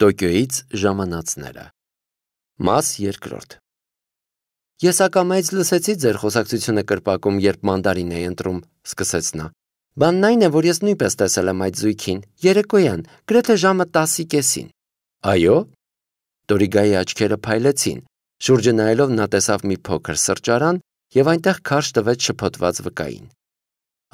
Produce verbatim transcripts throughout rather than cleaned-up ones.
Տոկիոյից ժամանածները։ Մաս երկրորդ։ Ես ակամայից լսեցի ձեր խոսակցությունը կրպակում, երբ մանդարին էի ընտրում, սկսեց նա։ Բանն այն է, որ ես նույնպես տեսել եմ այդ զույգին, երեկոյան, գրեթե ժամը տասի կեսին։ Այո։ Տորիգայի աչքերը փայլեցին, շուրջը նայելով նա տեսավ մի փոքր սրճարան եւ այնտեղ քարշ տվեց շփոթված վկային։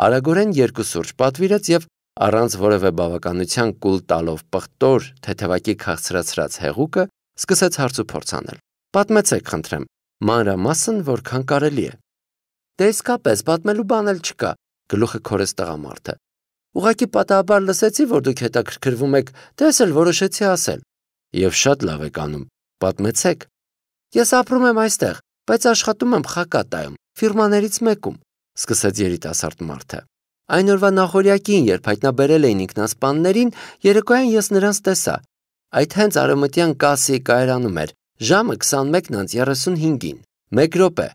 Արագորեն երկու սուրճ պատվիրեց եւ առանց որևէ բավականության կուլ տալով պղտոր թեթևակի քաղցրացրած հեղուկը սկսեց հարց ու փորձ անել։ Պատմեցեք, խնդրեմ, մանրամասն որքան կարելի է։ Դե իսկապես պատմելու բան էլ չկա, գլուխը քորեց տղամարդը։ Ուղղակի պատահաբար լսեցի, որ դուք հետաքրքրվում եք, դե ես էլ որոշեցի ասել։ Եվ շատ լավ եք անում, պատմեցեք։ Ես ապրում եմ այստեղ, բայց աշխատում եմ Խակատայում, ֆիրմաներից մեկում, սկսեց երիտասարդ մարդը։ Այն օրվա նախօրյակին, երբ հայտնաբերել էին ինքնասպաններին, երեկոյան ես նրանց տեսա։ Այդ հենց արևմտյան կասի կայարանում էր, ժամը քսանմեկն անց երեսունհինգին։ Մեկ րոպե,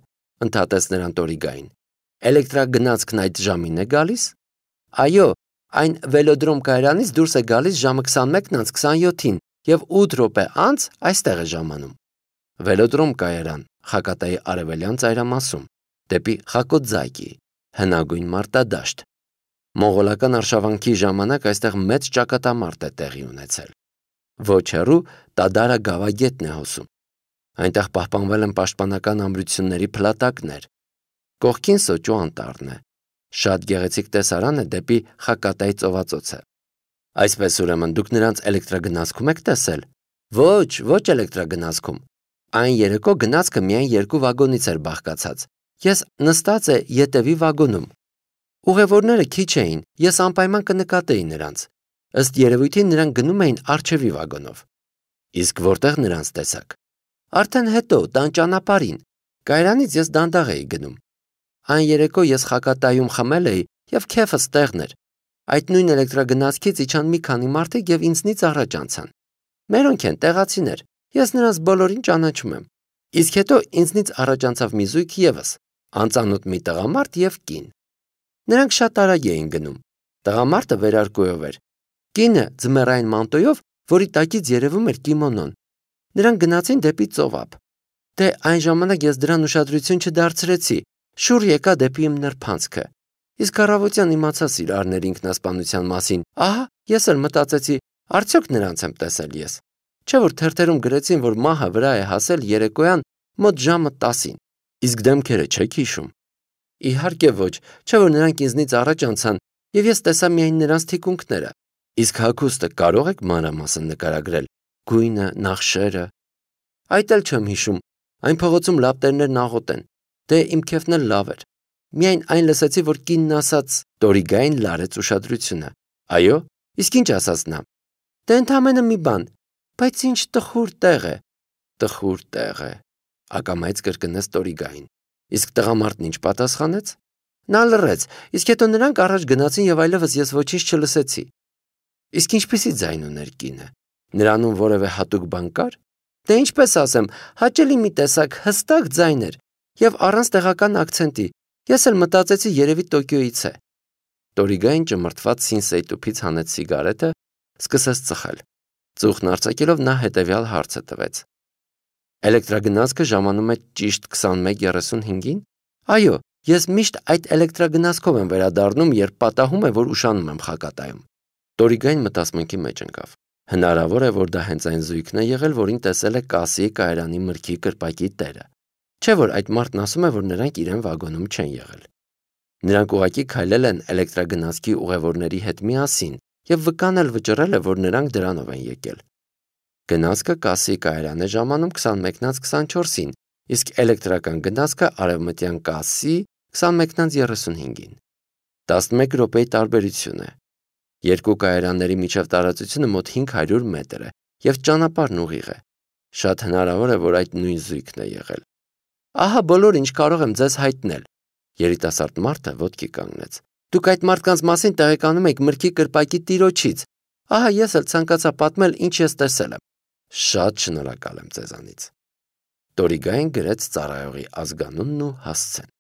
ընդհատեց նրան Տորիգային։ Էլեկտրագնացքն այդ ժամին է գալիս։ Այո, այն վելոդրոմ կայարանից դուրս է գալիս ժամը քսանմեկն անց քսանյոթին եւ ութ րոպե անց այստեղ է ժամանում։ Վելոդրոմ կայարան, Խակատայի արևելյան ծայրամասում, դեպի Խակոձայկի, հնագույն մարտադաշտ։ Մոնղոլական արշավանքի ժամանակ այստեղ մեծ ճակատամարտ է տեղի ունեցել։ Ոչ հեռու Տադարա գավագետն է հոսում։ Այնտեղ պահպանվել են պաշտպանական ամրությունների փլատակներ։ Կողքին Սոճու անտառն է։ Շատ գեղեցիկ տեսարան է դեպի Խակատայի ծովածոցը։ Այսպես ուրեմն դուք նրանց էլեկտրագնացքում եք տեսել։ Ոչ, ոչ էլեկտրագնացքում։ Այն երեկո գնացքը միայն երկու վագոնից էր բաղկացած։ Ես նստած է ետևի վագոնում։ Ուղևորները քիչ էին, ես անպայման կնկատեի նրանց։ Ըստ երևույթին նրանք գնում էին առջևի վագոնով։ Իսկ որտեղ նրանց տեսակ։ Արդեն հետո, տան ճանապարհին։ Կայարանից ես դանդաղ էի գնում։ Այն երեկո ես Խակատայում խմել էի եւ քեֆս տեղն էր։ Այդ նույն էլեկտրագնացքից իջան մի քանի մարդիկ եւ ինձնից առաջ անցան։ Մերոնք են տեղացիներ։ Ես նրանց բոլորին ճանաչում եմ։ Իսկ հետո ինձնից առաջ անցավ մի զույգ եւս, անծանոթ մի տղամարդ եւ կին։ Նրանք շատ արագ էին գնում։ Տղամարդը վերարկուով էր։ Կինը ձմեռային մանտոյով, որի տակից երևում էր կիմոնոն։ Նրանք գնացին դեպի ծովափ։ Դե այն ժամանակ ես դրան ուշադրություն չդարձրեցի, շուռ եկա դեպի իմ նրբանցքը։ Իսկ առավոտյան իմացա սիրարների ինքնասպանության մասին։ Ահա, ես էլ մտածեցի, արդյոք նրանց եմ տեսել ես։ Չէ՞ որ թերթերում գրեցին, որ մահը վրա է հասել երեկոյան մոտ ժամը տասին։ Իսկ դեմքերը չեք հիշում։ Իհարկե ոչ, չէ՞ որ նրանք ինձնից առաջ անցան, եւ ես տեսա միայն նրանց թիկունքները։ Իսկ հագուստը կարող եք մանրամասն նկարագրել։ Գույնը, նախշերը։ Այդ էլ չեմ հիշում։ Այն փողոցում լապտերներն աղոտ են։ Դե իմ քեֆն էլ լավ էր։ Միայն այն լսեցի, որ կինն ասաց, Տորիգային լարեց ուշադրությունը։ Այո, իսկ ինչ ասաց նա։ Դե ընդամենը մի բան, բայց ինչ տխուր տեղ է։ Տխուր տեղ է, ակամայից կրկնեց Տորիգային։ Իսկ տղամարդն ինչ պատասխանեց։ Նա լռեց, իսկ հետո նրանք առաջ գնացին եւ այլևս ես ոչինչ չլսեցի։ Իսկ ինչպեսի ձայն ուներ կինը։ Նրանում որևէ հատուկ բան կար։ Դե ինչպես ասեմ, հաճելի մի տեսակ հստակ ձայն էր եւ առանց տեղական ակցենտի։ Ես էլ մտածեցի երևի Տոկիոյից է։ Տորիգային ճմրթված սինսեյ տուփից հանեց սիգարետը, սկսեց ծխել։ Ծուխն արձակելով նա հետևյալ հարցը տվեց։ Էլեկտրագնացքը ժամանում է ճիշտ քսանմեկ երեսունհինգին։ Այո, ես միշտ այդ էլեկտրագնացքով եմ վերադառնում, երբ պատահում է, որ ուշանում եմ Խակատայում։ Տորիգային մտածմունքի մեջ ընկավ։ Հնարավոր է, որ դա հենց այն զույգն է եղել, որին տեսել է կասի կայարանի մրգի կրպակի տերը։ Չէ՞ որ այդ մարդն ասում է, որ նրանք իրեն վագոնում չեն եղել։ Նրանք ուղղակի քայլել են էլեկտրագնացքի ուղևորների հետ միասին եւ վկան էլ վճռել է, որ նրանք դրանով են եկել։ Գնացքը կասի կայարան է ժամանում քսանմեկն անց քսանչորսին, իսկ էլեկտրական գնացքը արևմտյան կասի քսանմեկն անց երեսունհինգին։ տասնմեկ րոպեի տարբերություն է։ Երկու կայարանների միջև տարածությունը մոտ հինգ հարյուր մետր է եւ ճանապարհն ուղիղ է։ Շատ հնարավոր է, որ այդ նույն զույգն է եղել։ Ահա բոլոր ինչ կարող եմ ձեզ հայտնել։ Երիտասարդ մարդը ոտքի կանգնեց։ Դուք այդ մարդկանց մասին տեղեկանում եք մրգի կրպակի տիրոջից։ Ահա ես էլ ցանկացա պատմել, ինչ ես տեսել եմ։ Շատ շնորհակալ եմ ձեզանից։ Տորիգային գրեց ծառայողի ազգանունն ու հասցեն։